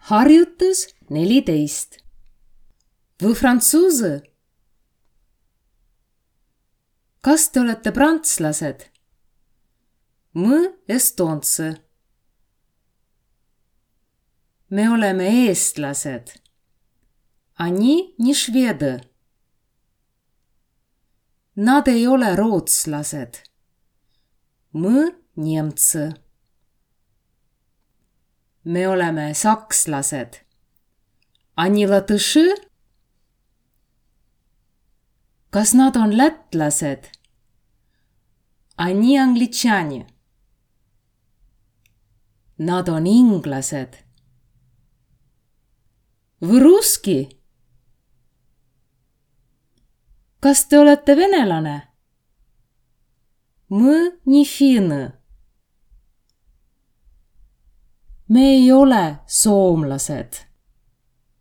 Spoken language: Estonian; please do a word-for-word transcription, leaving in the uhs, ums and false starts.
Harjutus neliteist. Vous françoise? Kas te olete prantslased? Мы эстонцы. Me oleme eestlased. Они не шведы. Nad ei ole rootslased. Мы немцы. Me oleme sakslased. Они латыши? Kas nad on lätlased? Они англичане. Nad on inglased. Вы русский? Kas te olete venelane? Мы не финны. Me ei ole soomlased.